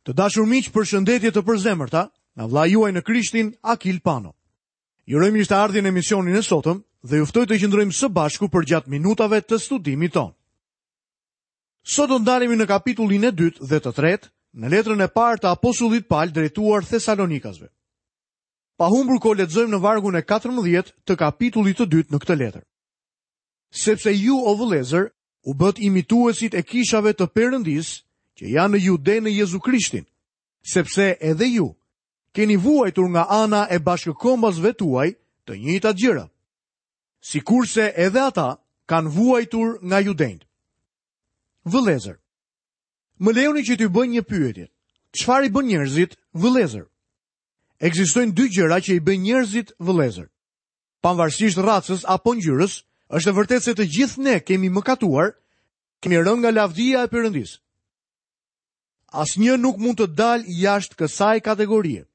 Të dashur miq, përshëndetje të përzemërta nga vëllai juaj në Krishtin, Akil Pano. Ju uroj mirëseardhje në emisionin e sotëm dhe ju ftoj të qëndrojmë së bashku përgjatë minutave të studimit tonë. Sot do të ndalemi në kapitullin e dytë dhe të tretë në letrën e parë të apostullit Pal drejtuar Thesalonikasve. Pa humbur kohë lexojmë në vargun e 14 të kapitullit të dytë në këtë letër. Sepse ju o vëllezër u bëtë imituesit e kishave të Perëndisë që janë në Jude në Jezu Krishtin, sepse edhe ju keni vuajtur nga ana e bashkëkombasve tuaj të njëjtat gjëra, sikurse edhe ata kanë vuajtur nga judenjtë. Vëllezër, më lejoni që t'ju bëj një pyetje. Çfarë i bën njerëzit vëllezër? Ekzistojnë dy gjëra që i bëjnë njerëzit vëllezër. Pavarësisht racës apo ngjyrës, është e vërtetë se të gjithë ne kemi mëkatuar, kemi rënë nga lavdia e Perëndisë. Asnjë nuk mund të dalë jashtë kësaj kategorie.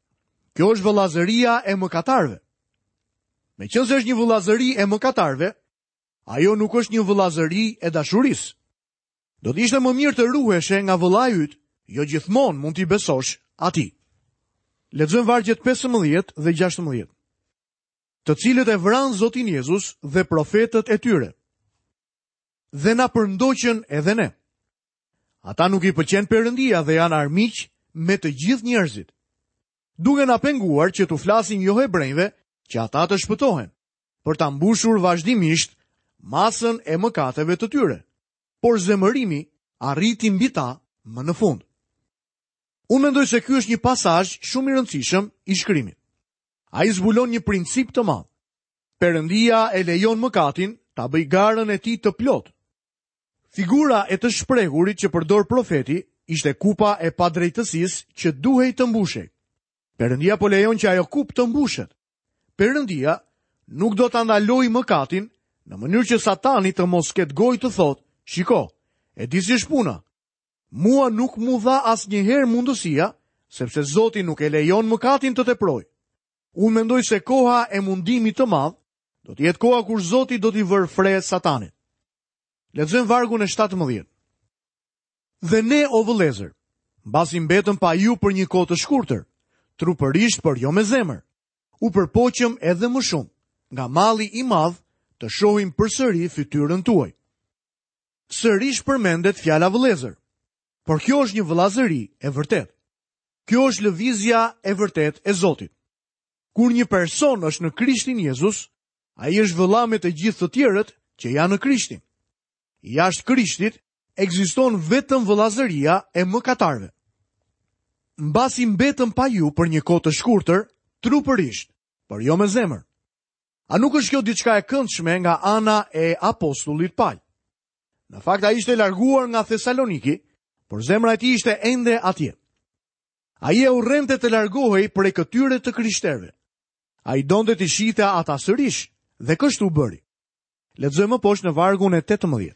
Kjo është vëllazëria e mëkatarëve. Meqenëse është një vëllazëri e mëkatarëve, ajo nuk është një vëllazëri e dashurisë. Do të ishte më mirë të ruheshe nga vëllai yt, jo gjithmonë mund t'i besosh atij. Lexojmë vargjet 15 dhe 16. Të cilët e vranë Zotin Jezus dhe profetët e tyre. Dhe na përndoqën edhe ne. Ata nuk i pëlqen Perëndia dhe janë armiq me të gjithë njerëzit. Duke na penguar që t'u flasim johebrenjve që ata të shpëtohen, për ta mbushur vazhdimisht masën e mëkateve të tyre. Por zemërimi arriti mbi ta më në fund. Unë mendoj se ky është një pasazh shumë i rëndësishëm i shkrimit. Ai zbulon një princip të madh. Perëndia e lejon mëkatin ta bëjë garën e tij të plotë. Figura e të shprehurit që përdor profeti ishte kupa e padrejtësisë që duhej të mbushej. Perëndia po lejon që ajo kupë të mbushet. Perëndia nuk do ta ndalojë mëkatin në mënyrë që Satani të mos ketë gojë të thotë, shiko, e di si është puna. Mua nuk m'u dha asnjëherë mundësia, sepse Zoti nuk e lejon mëkatin të teprojë. Unë mendoj se koha e mundimit të madh do të jetë koha kur Zoti do t'i vërë fre Satanit. Lexojmë vargun e 17. Dhe ne o vëllezër, mbasi mbetëm pa ju për një kohë të shkurtër, trupërisht por jo me zemër, u përpoqëm edhe më shumë, nga malli i madh të shohim përsëri fytyrën tuaj. Sërish përmendet fjala vëllezër, por kjo është një vëllazëri e vërtetë. Kjo është lëvizja e vërtetë e Zotit. Kur një person është në Krishtin Jezus, ai është vëlla me të gjithë të tjerët që janë në Krishtin. Jashtë Krishtit ekziston vetëm vëllazëria e mëkatarëve. Mbasi mbetëm pa ju për një kohë të shkurtër, trupërisht, por jo me zemër. A nuk është kjo diçka e këndshme nga ana e apostullit Pal? Në fakt ai ishte larguar nga Thesaloniki, por zemra e tij ishte ende atje. Ai e urrente të largohej prej këtyre të krishterëve. Ai donte t'i shihte ata sërish dhe kështu bëri. Lexojmë më poshtë në vargun e 18.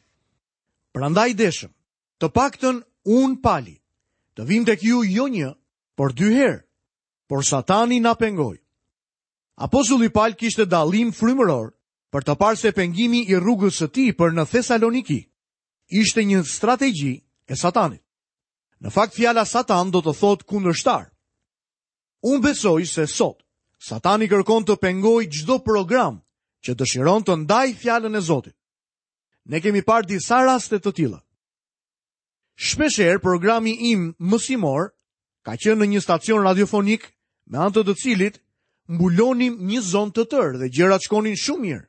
Prandaj deshëm, të paktën unë Pali, të vijmë tek ju jo një, por dy herë, por Satani na pengoi. Apostulli Pal kishte dallim frymëror për të parë se pengimi i rrugës së tij për në Thesaloniki ishte një strategji e Satanit. Në fakt fjala Satan do të thotë kundërshtar. Unë besoj se sot Satani kërkon të pengojë çdo program që dëshiron të ndajë fjalën e Zotit. Ne kemi parë disa raste të tilla. Shpeshherë programi im mësimor ka qenë në një stacion radiofonik me anë të të cilit mbulonim një zonë të tërë dhe gjërat shkonin shumë mirë.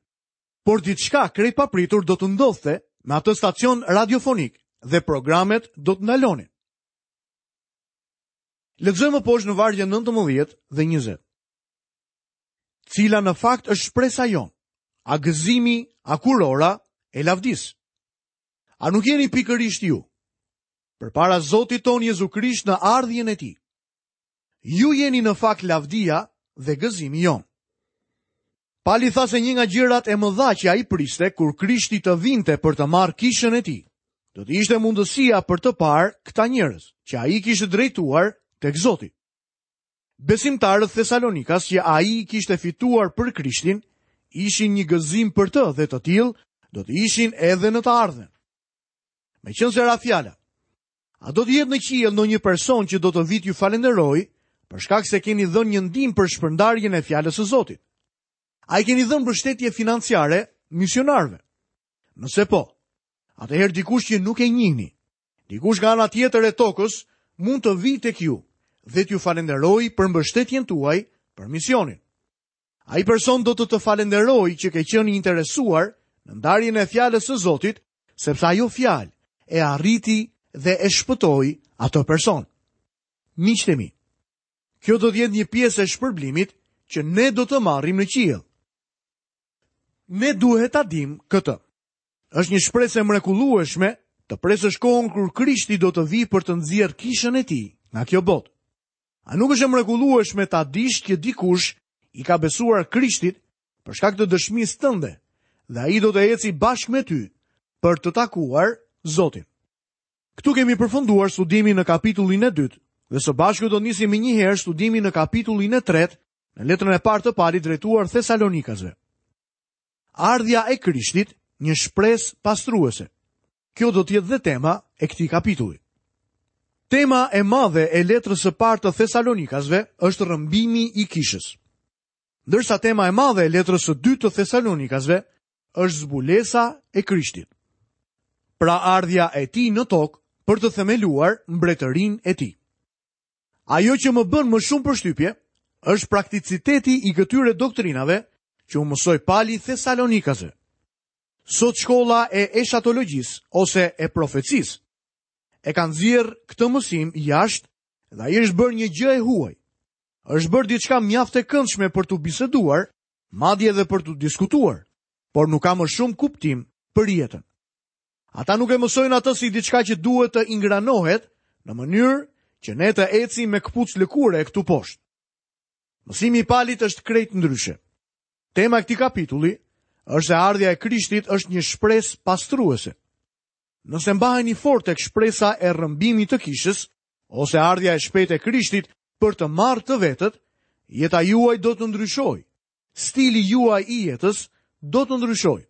Por diçka krejt papritur do të ndodhte me atë stacion radiofonik dhe programet do të ndalonin. Lexojmë më poshtë në vargjet 19 dhe 20. Cila në fakt është shpresa jonë, a gëzimi, a kurora e lavdisë. A nuk jeni pikërisht ju? Përpara Zotit tonë Jezu Krisht në ardhjen e tij. Ju jeni në fakt lavdia dhe gëzimi jonë. Pali tha se një nga gjërat e mëdha që ai priste kur Krishti të vinte për të marrë kishën e tij, do të ishte mundësia për të parë këta njerëz që ai kishte drejtuar tek Zoti. Besimtarët thesalonikas që ai i kishte fituar për Krishtin, ishin një gëzim për të dhe të tillë do të ishin edhe në të ardhmen. Meqenëse ra fjala. A do të jetë në qiell ndonjë person që do të vijë t'ju falënderojë për shkak se keni dhënë një ndihmë për shpërndarjen e fjalës së Zotit? A i keni dhënë mbështetje financiare misionarëve? Nëse po, atëherë dikush që nuk e njihni, dikush nga ana tjetër e tokës mund të vijë tek ju dhe t'ju falënderojë për mbështetjen tuaj për misionin. Ai person do të të falënderojë që ke qenë i interesuar në ndarjen e fjalës së Zotit, sepse ajo fjalë e arriti dhe e shpëtoi atë person. Miqtë e mi, kjo do të jetë një pjesë e shpërblimit që ne do të marrim në qiell. Ne duhet ta dimë këtë. Është një shpresë e mrekullueshme të presësh kohën kur Krishti do të vijë për të nxjerrë kishën e tij nga kjo botë. A nuk është e mrekullueshme ta dish që dikush i ka besuar Krishtit për shkak të dëshmisë tënde dhe ai do të eci bashkë me ty për të takuar Zotin. Këtu kemi përfunduar studimin në kapitullin e dytë dhe së bashku do të nisim menjëherë studimin në kapitullin e tretë në letrën e parë të Palit drejtuar Thesalonikasve. Ardhja e Krishtit, një shpresë pastruese. Kjo do të jetë dhe tema e këtij kapitulli. Tema e madhe e letrës së parë të Thesalonikasve është rrëmbimi i kishës. Ndërsa tema e madhe e letrës së dytë të Thesalonikasve është zbulesa e Krishtit. Pra ardhja e tij në tokë për të themeluar mbretërinë e tij. Ajo që më bën më shumë përshtypje është prakticiteti i këtyre doktrinave që u mësoi Pali Thesalonikasve. Sot shkolla e eshatologjisë ose e profecisë e ka nxjerrë këtë mësim jashtë dhe ai është bërë një gjë e huaj. Është bërë diçka mjaft e këndshme për t'u biseduar, madje edhe për t'u diskutuar, por nuk ka më shumë kuptim për jetën. Ata nuk e mësojnë atë si diçka që duhet të ingranohet në mënyrë që ne të ecim me këpucë lëkure këtu poshtë. Mësimi i Palit është krejt ndryshe. Tema e këtij kapitulli është se ardhja e Krishtit është një shpresë pastruese. Nëse mbaheni fort tek shpresa e rrëmbimit të kishës ose ardhja e shpejtë e Krishtit për të marrë të vetët, jeta juaj do të ndryshojë. Stili juaj i jetës do të ndryshojë.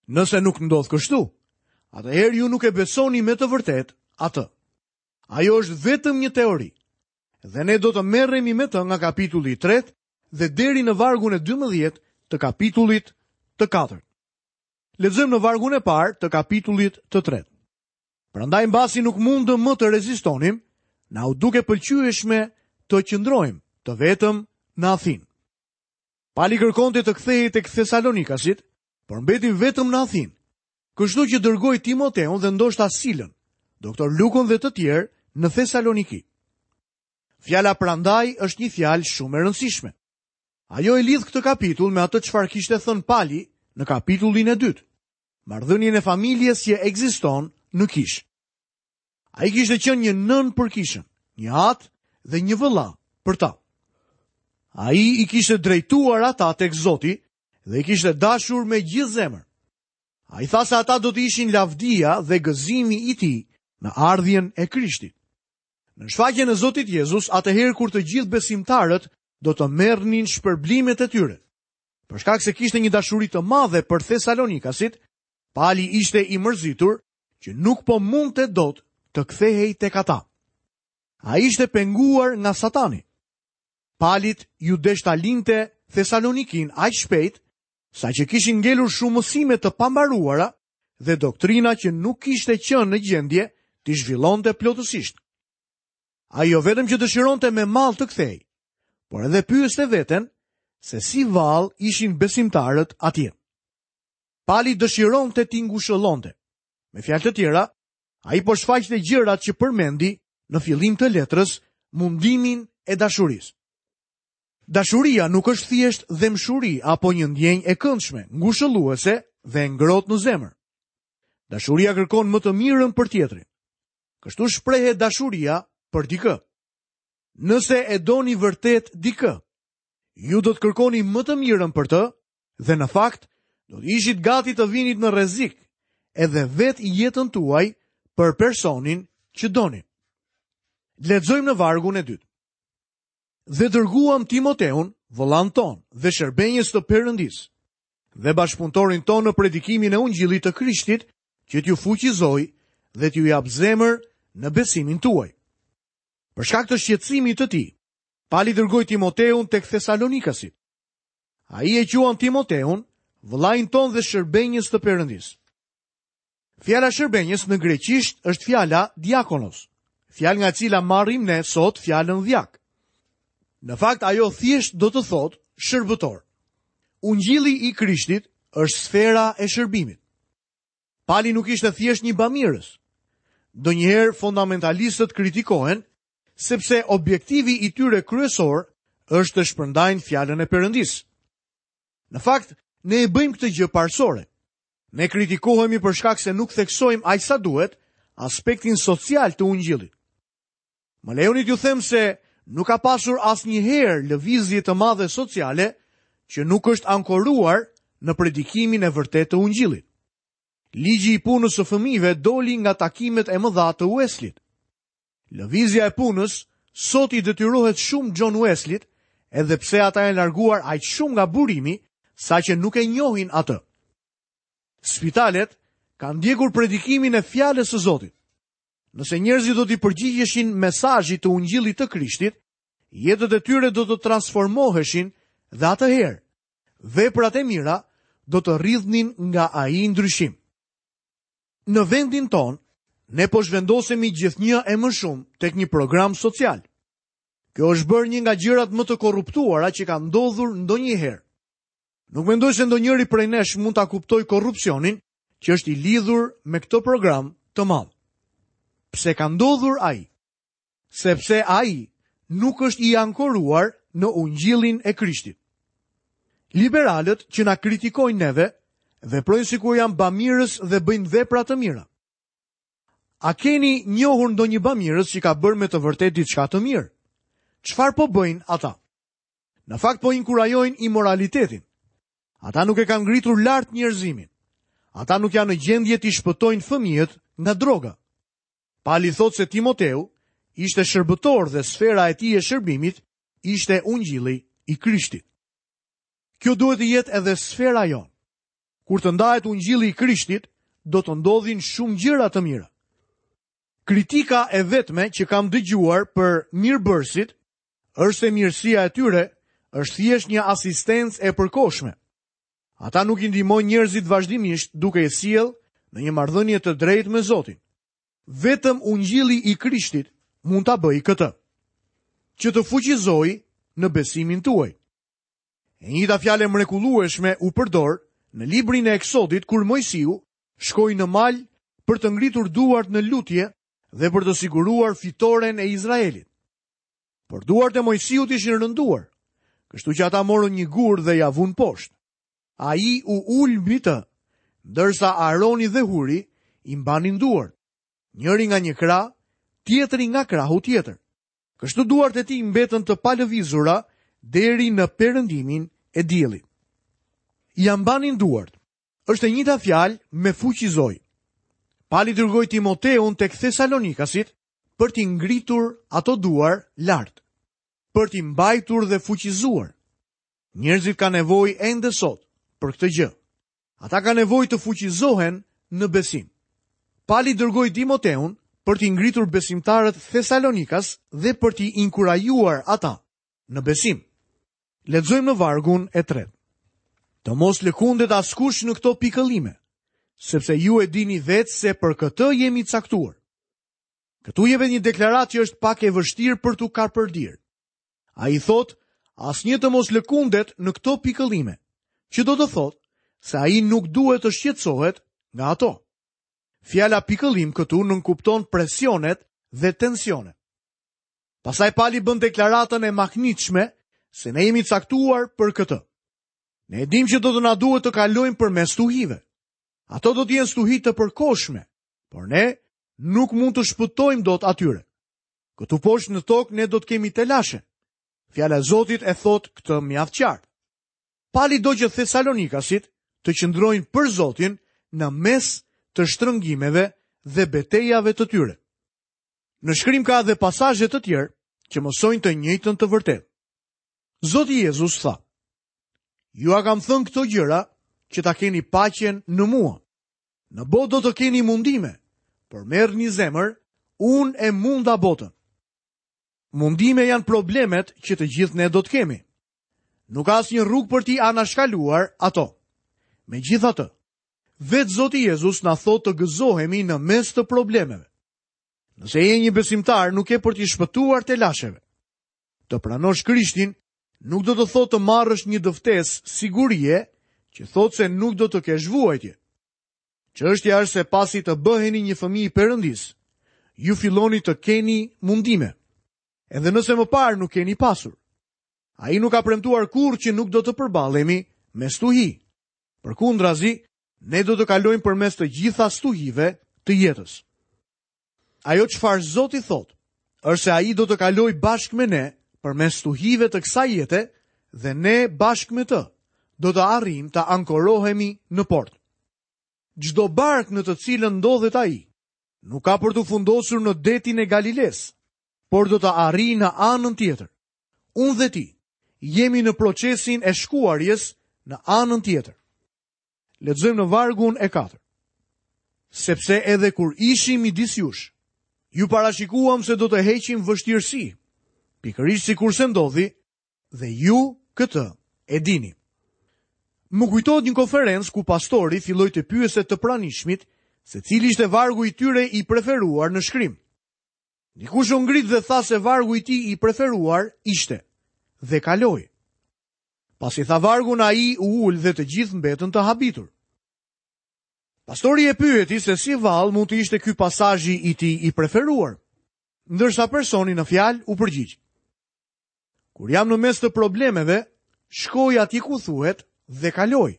Nëse nuk ndodh kështu, atëherë ju nuk e besoni me të vërtetë atë. Ajo është vetëm një teori. Dhe ne do të merremi me të nga kapitulli i tretë dhe deri në vargun e 12 të kapitullit të katërt. Lexojmë në vargun e parë të kapitullit të tretë. Prandaj mbasi nuk mundëm më të rezistonim, na u duk e pëlqyeshme të qëndrojmë të vetëm në Athinë. Pali kërkonte të kthehej tek Thesalonikasit, por mbeti vetëm në Athinë. Kështu që dërgoi Timoteun dhe ndoshta Silën, doktor Lukën dhe të tjerë në Thesaloniki. Fjala prandaj është një fjalë shumë e rëndësishme. Ajo e lidh këtë kapitull me atë çfarë kishte thënë Pali në kapitullin e dytë, marrëdhënien e familjes që ekziston në kishë. Ai kishte qenë një nënë për kishën, një atë dhe një vëlla për ta. Ai i kishte drejtuar ata tek Zoti dhe i kishte dashur me gjithë zemër. Ai tha se ata do të ishin lavdia dhe gëzimi i tij në ardhjen e Krishtit. Në shfaqjen e Zotit Jezus, atëherë kur të gjithë besimtarët do të merrnin shpërblimet e tyre. Për shkak se kishte një dashuri të madhe për Thesalonikasit, Pali ishte i mërzitur që nuk po mundte dot të kthehej tek ata. Ai ishte penguar nga Satani. Palit iu desh ta linte Thesalonikin aq shpejt, saqë kishin ngelur shumë mësime të pambaruara dhe doktrina që nuk kishte qenë në gjendje t'i zhvillonte plotësisht. Ai jo vetëm që dëshironte me mall të kthehej, por edhe pyeste veten se si vallë ishin besimtarët atje. Pali dëshironte t'i ngushëllonte. Me fjalë të tjera, ai po shfaqte gjërat që përmendi në fillim të letrës, mundimin e dashurisë. Dashuria nuk është thjesht dhembshuri apo një ndjenjë e këndshme, ngushëlluese dhe e ngrohtë në zemër. Dashuria kërkon më të mirën për tjetrin. Kështu shprehet dashuria për dikë. Nëse e doni vërtet dikë, ju do të kërkoni më të mirën për të dhe në fakt do të ishit gati të vinit në rrezik edhe vetë jetën tuaj për personin që doni. Lexojmë në vargun e dytë. Dhe dërguam Timoteun, vëllanë tonë dhe shërbenjës të Perëndisë, dhe bashkëpunëtorin tonë në predikimin e Ungjillit të Krishtit, që t'ju fuqizojë dhe t'ju japë zemër në besimin tuaj. Për shkak të shqetësimit të tij, Pali dërgoi Timoteun tek Thesalonikasit. Ai e quan Timoteun vëllain tonë dhe shërbenjës të Perëndisë. Fjala shërbenjës në greqisht është fjala diakonos, fjalë nga e cila marrim ne sot fjalën dhjak. Në fakt ajo thjesht do të thotë shërbëtor. Ungjilli i Krishtit është sfera e shërbimit. Pali nuk ishte thjesht një bamirës. Ndonjëherë fundamentalistët kritikohen sepse objektivi i tyre kryesor është të shpërndajnë fjalën e Perëndisë. Në fakt, ne e bëjmë këtë gjë parësore. Ne kritikohemi për shkak se nuk theksojmë aq sa duhet aspektin social të ungjillit. Më lejoni t'ju them se nuk ka pasur asnjëherë lëvizje të madhe sociale që nuk është ankoruar në predikimin e vërtetë të ungjillit. Ligji i punës së fëmijëve doli nga takimet e mëdha të Wesley-t. Lëvizja e punës sot i detyrohet shumë John Wesley-t, edhe pse ata janë larguar aq shumë nga burimi, saqë nuk e njohin atë. Spitalet kanë ndjekur predikimin e fjalës së Zotit. Nëse njerëzit do t'i përgjigjeshin mesazhit të ungjillit të Krishtit, jetët e tyre do të transformoheshin dhe atëherë veprat e mira do të rridhnin nga ai ndryshim. Në vendin tonë, ne po zhvendosemi gjithnjë e më shumë tek një program social. Kjo është bërë një nga gjërat më të korruptuara që ka ndodhur ndonjëherë. Nuk mendoj se ndonjëri prej nesh mund ta kuptojë korrupsionin që është i lidhur me këtë program të madh. Pse ka ndodhur ai? Sepse ai nuk është i ankoruar në ungjillin e Krishtit. Liberalët që na kritikojnë neve, veprojnë sikur janë bamirës dhe bëjnë vepra të mira. A keni njohur ndonjë bamirës që ka bërë me të vërtetë diçka të mirë? Çfarë po bëjnë ata? Në fakt po inkurajojnë imoralitetin. Ata nuk e kanë ngritur lart njerëzimin. Ata nuk janë në gjendje t'i shpëtojnë fëmijët nga droga. Pali thotë se Timoteu ishte shërbëtor dhe sfera e tij e shërbimit ishte ungjilli i Krishtit. Kjo duhet të jetë edhe sfera jonë. Kur të ndahet ungjilli i Krishtit, do të ndodhin shumë gjëra të mira. Kritika e vetme që kam dëgjuar për mirëbërësit është se mirësia e tyre është thjesht një asistencë e përkohshme. Ata nuk i ndihmojnë njerëzit vazhdimisht duke i sjellë në një marrëdhënie të drejtë me Zotin. Vetëm ungjilli i Krishtit mund ta bëjë këtë. Që të fuqizojë në besimin tuaj. E njëjta fjalë e mrekullueshme u përdor në librin e Eksodit kur Moisiu shkoi në mal për të ngritur duart në lutje dhe për të siguruar fitoren e Izraelit. Por duart e Moisiut ishin rënduar, kështu që ata morën një gur dhe ia vunë poshtë. Ai u ul mbi të, ndërsa Aroni dhe Huri i mbanin duart, njëri nga një krah, tjetri nga krahu tjetër. Kështu duart e tij mbetën të palëvizura deri në perëndimin e diellit. Ia mbanin duart. Është e njëjta fjalë me fuqizoi. Pali dërgoi Timoteun tek Thesalonikasit për t'i ngritur ato duar lart, për t'i mbajtur dhe fuqizuar. Njerëzit kanë nevojë ende sot për këtë gjë. Ata kanë nevojë të fuqizohen në besim. Pali dërgoi Timoteun për t'i ngritur besimtarët thesalonikas dhe për t'i inkurajuar ata në besim. Lexojmë në vargun e tretë. Të mos lëkundet askush në këto pikëllime, sepse ju e dini vetë se për këtë jemi caktuar. Këtu jepet një deklaratë që është pak e vështirë për t'u kapërdirë. Ai thotë, asnjë të mos lëkundet në këto pikëllime, që do të thotë se ai nuk duhet të shqetësohet nga ato. Fjala pikëllim këtu nënkupton presionet dhe tensionet. Pastaj Pali bën deklaratën e mahnitshme se ne jemi caktuar për këtë. Ne e dimë që do të na duhet të kalojmë përmes stuhive. Ato do të jenë stuhi të përkohshme, por ne nuk mund t'u shpëtojmë dot atyre. Këtu poshtë në tokë ne do të kemi telashe. Fjala e Zotit e thotë këtë mjaft qartë. Pali do që Thesalonikasit të qëndrojnë për Zotin në mes të shtrëngimeve dhe betejave të tyre. Në shkrim ka edhe pasazhe të tjerë që mësojnë të njëjtën të vërtetë. Zoti Jezus tha: Jua kam thënë këto gjëra që ta keni paqen në mua. Në botë do të keni mundime, por merrni zemër, Unë e munda botën. Mundime janë problemet që të gjithë ne do të kemi. Nuk ka asnjë rrugë për t'i anashkaluar ato. Megjithatë, vetë Zoti Jezus na thotë të gëzohemi në mes të problemeve. Nëse je një besimtar, nuk ke për t'i shpëtuar telasheve. Të pranosh Krishtin nuk do të thotë të marrësh një dëftesë sigurie që thotë se nuk do të kesh vuajtje. Çështja është se pasi të bëheni një fëmijë i Perëndisë, ju filloni të keni mundime. Edhe nëse më parë nuk keni pasur. Ai nuk ka premtuar kurrë që nuk do të përballemi me stuhi. Përkundrazi, ne do të kalojmë përmes të gjitha stuhive të jetës. Ajo çfarë Zoti thotë, është se ai do të kalojë bashkë me ne përmes stuhive të kësaj jete dhe ne bashkë me të do të arrijmë të ankorohemi në port. Çdo barkë në të cilën ndodhet ai, nuk ka për t'u fundosur në detin e Galilesë, por do të arrijë në anën tjetër. Unë dhe ti jemi në procesin e shkuarjes në anën tjetër. Lexojmë në vargun e 4. Sepse edhe kur ishim midis jush, ju parashikuam se do të heqim vështirësi, pikërisht sikurse ndodhi dhe ju këtë e dini. Më kujtohet një konferencë ku pastori filloi të pyeste të pranishmit se cili ishte vargu i tyre i preferuar në shkrim. Dikush u ngrit dhe tha se vargu i tij i preferuar ishte dhe kaloi. Pasi tha vargun ai u ul dhe të gjithë mbetën të habitur. Pastori e pyeti se si vallë mund të ishte ky pasazhi i tij i preferuar, ndërsa personi në fjalë u përgjigj. Kur jam në mes të problemeve, shkoj atje ku thuhet dhe kaloi.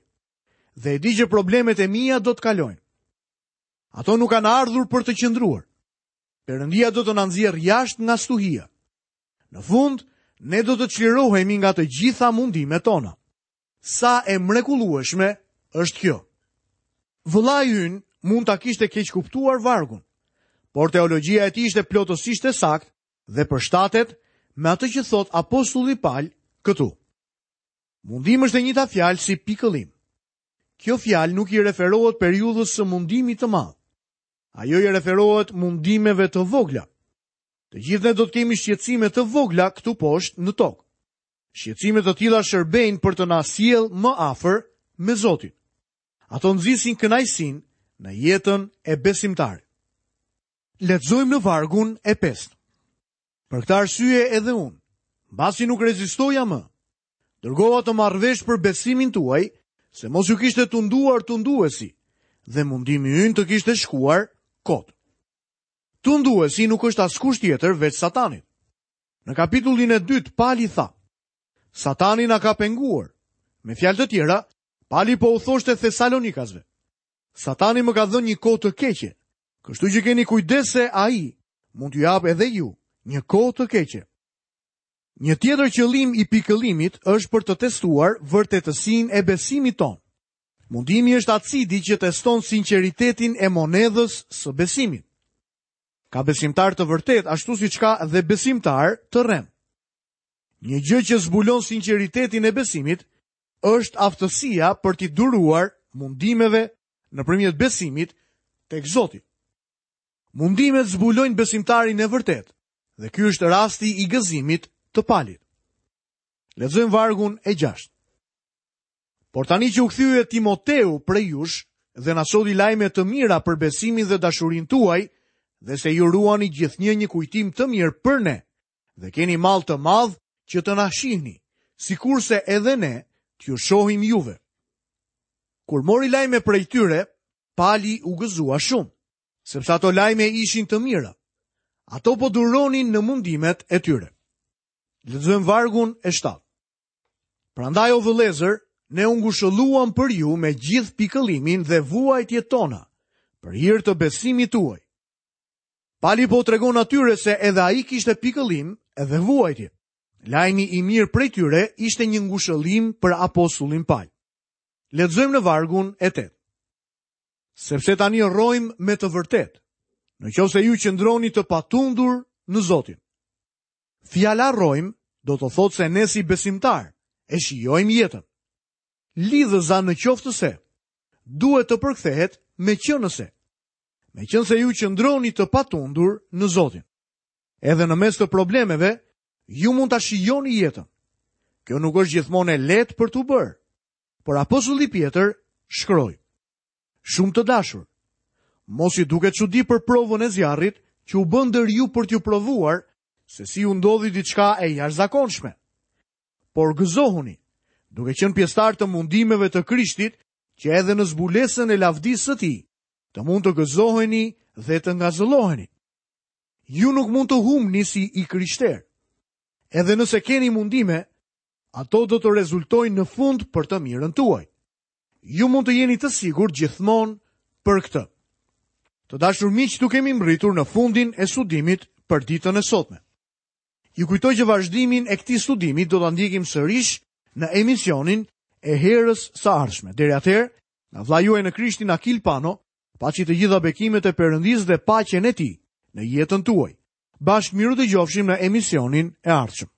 Dhe e di që problemet e mia do të kalojnë. Ato nuk kanë ardhur për të qëndruar. Perëndia do të na nxjerrë jashtë nga stuhia. Në fund, ne do të çlirohemi nga të gjitha mundimet tona. Sa e mrekullueshme është kjo. Vëllai ynë mund ta kishte keqkuptuar vargun, por teologjia e tij ishte plotësisht e saktë dhe përshtatet me atë që thotë apostulli Pal këtu. Mundim është e njëjta fjalë si pikëllim. Kjo fjalë nuk i referohet periudhës së mundimit të madh. Ajo i referohet mundimeve të vogla. Të gjithë ne do të kemi shqetësime të vogla këtu poshtë në tokë. Shqetësime të tilla shërbejnë për të na sjellë më afër me Zotin. Ato nxisin kënaqësinë në jetën e besimtarit. Lexojmë në vargun e pestë. Për këtë arsye edhe unë, mbasi nuk rezistoja më, dërgova të marr vesh për besimin tuaj, se mos ju kishte tunduar tunduesi dhe mundimi ynë të kishte shkuar kot. Tunduesi nuk është askush tjetër veç Satanit. Në kapitullin e dytë Pali tha: Satani na ka penguar. Me fjalë të tjera, Pali po u thoshte Thesalonikasve. Satani më ka dhënë një kohë të keqe, kështu që keni kujdes se ai mund t'ju japë edhe ju një kohë të keqe. Një tjetër qëllim i pikëllimit është për të testuar vërtetësinë e besimit tonë. Mundimi është acidi që teston sinqeritetin e monedhës së besimit. Ka besimtarë të vërtetë, ashtu siç ka dhe besimtarë të rremë. Një gjë që zbulon sinqeritetin e besimit është aftësia për t'i duruar mundimeve nëpërmjet besimit tek Zoti. Mundimet zbulojnë besimtarin e vërtetë dhe ky është rasti i gëzimit të Palit. Lexojmë vargun e 6. Por tani që u kthye Timoteu prej jush dhe na solli lajme të mira për besimin dhe dashurinë tuaj, dhe se ju ruani gjithnjë një kujtim të mirë për ne, dhe keni mall të madh që të na shihni, sikurse edhe ne t'ju shohim juve. Kur mori lajme prej tyre, Pali u gëzua shumë, sepse ato lajme ishin të mira. Ato po duronin në mundimet e tyre. Lexojmë vargun e 7. Prandaj o vëllezër, ne u ngushëlluam për ju me gjithë pikëllimin dhe vuajtjet tona, për hir të besimit tuaj. Pali po u tregon atyre se edhe ai kishte pikëllim edhe vuajtje. Lajmi i mirë prej tyre ishte një ngushëllim për apostullin Pal. Lexojmë në vargun e 8. Sepse tani rrojmë me të vërtetë, në qoftë se ju qëndroni të patundur në Zotin. Fjala rrojmë do të thotë se ne si besimtarë e shijojmë jetën. Lidhëza në qoftë se duhet të përkthehet meqenëse. meqenëse ju qëndroni të patundur në Zotin. Edhe në mes të problemeve, ju mund ta shijoni jetën. Kjo nuk është gjithmonë e lehtë për t'u bërë. Por apostulli Pjetër shkroi: Shumë të dashur, mos ju duket çudi për provën e zjarrit që u bë ndër ju për t'ju provuar se si ju ndodhi diçka e jashtëzakonshme. Por gëzohuni, duke qenë pjesëtarë të mundimeve të Krishtit, që edhe në zbulesën e lavdisë së tij, të mund të gëzoheni dhe të ngazëlloheni. Ju nuk mund të humbni si i krishterë. Edhe nëse keni mundime, ato do të rezultojnë në fund për të mirën tuaj. Ju mund të jeni të sigurt gjithmonë për këtë. Të dashur miq, këtu kemi mbërritur në fundin e studimit për ditën e sotme. Ju kujtoj që vazhdimin e këtij studimi do ta ndjekim sërish në emisionin e herës së ardhshme. Deri atëherë, nga vëllai juaj në Krishtin Akil Pano, paçi të gjitha bekimet e Perëndisë dhe paqen e tij në jetën tuaj. Bashkë mirudëgjofshim në emisionin e ardhshëm.